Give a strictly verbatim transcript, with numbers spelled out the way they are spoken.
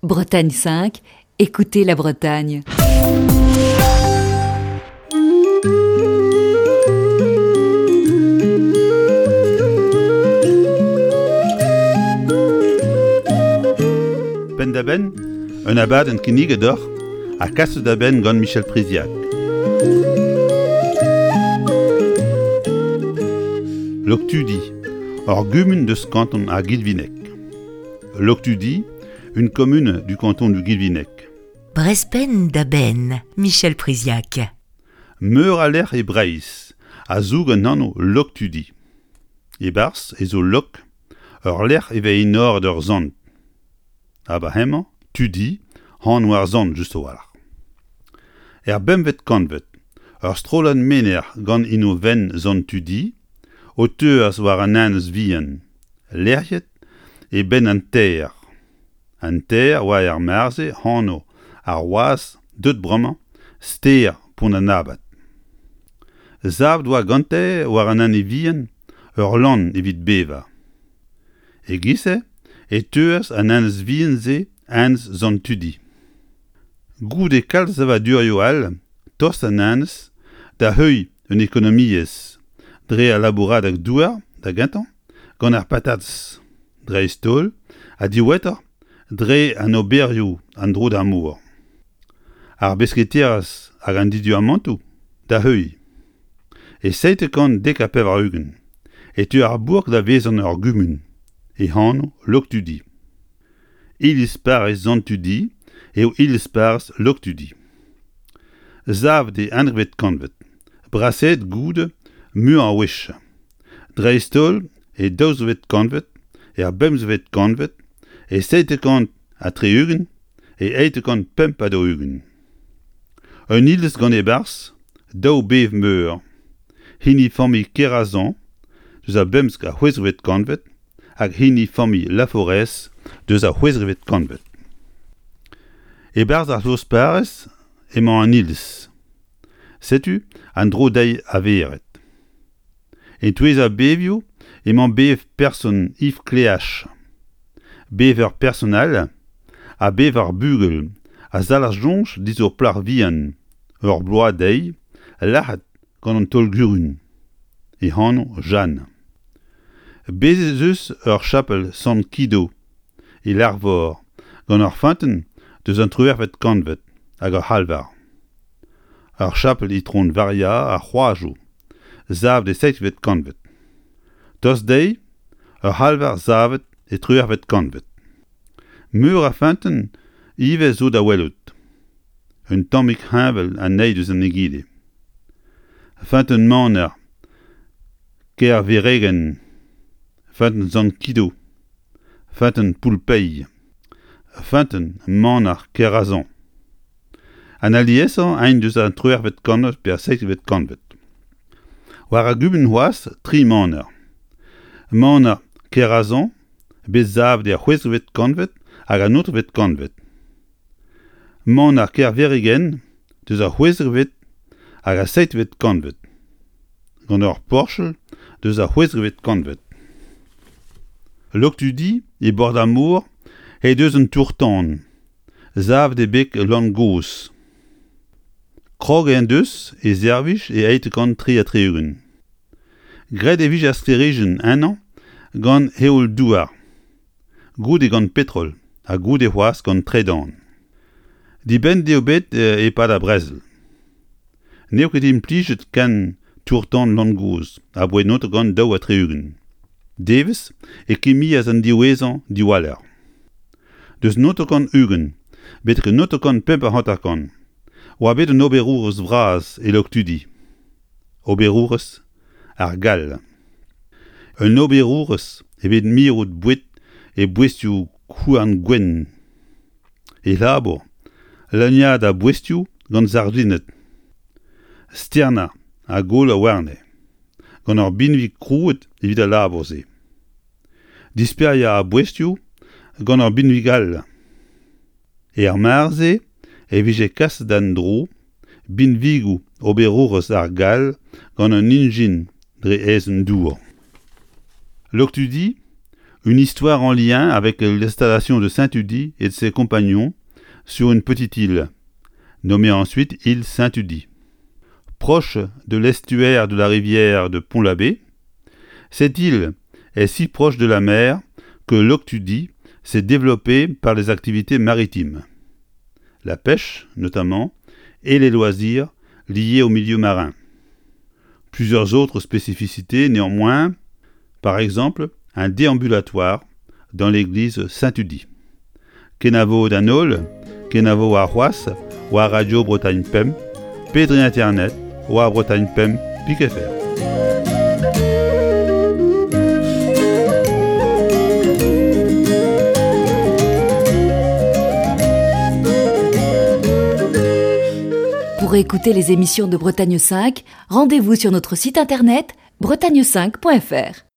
Bretagne cinq, écoutez la Bretagne. Penn-da-benn, un abadenn kinniget deoc'h ha kaset da benn gant Michel Priziac. Loktudi, ur gumun deus kanton ar Guilvinec. Loctudi, une commune du canton du Guilvinec. Brezh Penn-da-Benn, Michel Priziac. Meur a lec'h e Breizh a zoug an anv Loktudi. E-barzh ez zo Lok, ur lec'h e vez enoret ur sant. Ha ba hemañ, Tudi, anv ar sant just a-walc'h. Er bempvet kantved, ur strollad menec'h gant enovenn sant Tudi o teuas war an enez vihan, lec'hiet e benn an Ter. An Ter oa er mare-se anv ar wazh deuet bremañ stêr Pont-an-Abad. Savet oa gante war an enez vihan ur lann evit bevañ. E-giz-se e teuas an enez vihan-se Enez Sant Tudi. Goude kalz savadurioù all tost an enez da heuilh un ekonomiezh dre al labouradeg-douar da gentañ gant ar patatez dreist-holl ha diwezhatoc'h dre an oberioù en-dro d'ar mor. Ar besketerezh hag an diduamantoù da heuilh. E seitek kant dek ha pevar-ugent e teu ar bourk da vezañ ur gumun, e anv Loktudi. Iliz parrez Sant Tudi eo iliz parrez Loktudi. Savet e eizhvet kantved, brasaet goude muiañ a wech. Dreist-holl e daouzekvet kantved, er bemzekvet kantved, e seitek kant ha tri-ugent, e eizhtek kant pemp ha daou-ugent. Un iliz gant e-barzh daou bev meur, hini familh Kerazan deus ar bemzek ha c'hwezekvet kantved hag hini familh Laforez deus ar c'hwezekvet kantved. E-barzh ar c'hloz-parrez emañ an iliz. Setu an dro dezhi a vered. E-touez ar bevioù emañ bev person Yves Cléach, bev ur person all ha bev ar bugel a zalc'h soñj diouzh ur plac'h vihan, ur bloaz dezhi, lazhet gant an taol-gurun. E anv Jeanne. Bez' ez eus ur chapel Sant Kido e Larvor gant ur feunteun deus an triwec'hvet kantved hag ur c'halvar. Ur chapel Itron Varia ar C'hroazoù, savet e seizhvet kantved. Tost dezhi, ur c'halvar savet e triwec'hvet kantved. Meur a feunteun ivez zo da welout. Un tammig heñvel an eil deus an egile. Feunteun Maner, Kerveregen, Feunteun Sant Kido, Feunteun Poulpeilh, Feunteun Maner Kerazan. An aliesañ int deus an triwec'hvet kantved pe ar seizhvet kantved. War ar gumun c'hoazh tri maner. Maner Kerazan, bet savet er c'hwezekvet kantved hag an naontekvet kantved. Maner Kerveregen deus ar c'hwezekvet hag ar seizhvet kantved. Gant ur porched deus ar c'hwezekvet kantved. Loktudi e bord ar mor he deus un tour-tan, savet e beg Lann Gozh. Kroget en deus e servij e eizh kant tri ha tri-ugent. Graet e vije ar sklêrijenn ennañ gant heol-douar, goude gant petrol ha goude c'hoazh gant tredan. Dibenn eo bet e-pad ar brezel. N'eo ket implijet ken tour-tan Lann Gozh aboae naontek kant daou ha tri-ugent. Devezh e kemmias an diwezhañ diwaller. Deus naontek kant ugent betek naontek kant pemp ha hanter-kant oa bet un oberourez vras e Loktudi. Oberourez ar Gall. Un oberourez evit mirout boued e boestioù houarn gwenn. E labour, leuniañ ar boestioù gant sardined. Sternañ ha golo warne, gant ur binvig krouet evit al labour-se. Disperiañ ar boestioù gant ur binvig all. Er mare-se e vije kaset en-dro binvigoù oberourez ar Gall gant un ijin dre aezhenn dour. Loktudi, Une histoire en lien avec l'installation de Saint-Tudy et de ses compagnons sur une petite île, nommée ensuite île Saint-Tudy. Proche de l'estuaire de la rivière de Pont-l'Abbé, cette île est si proche de la mer que Loctudy s'est développée par les activités maritimes, la pêche notamment, et les loisirs liés au milieu marin. Plusieurs autres spécificités néanmoins, par exemple un déambulatoire dans l'église Saint-Tudy. Kenavo d'an holl, kenavo ar c'hoazh, war Radio Bretagne Pemp, pe dre internet, war Bretagne Pemp, pik F R. Pour écouter les émissions de Bretagne cinq, rendez-vous sur notre site internet bretagne cinq point F R.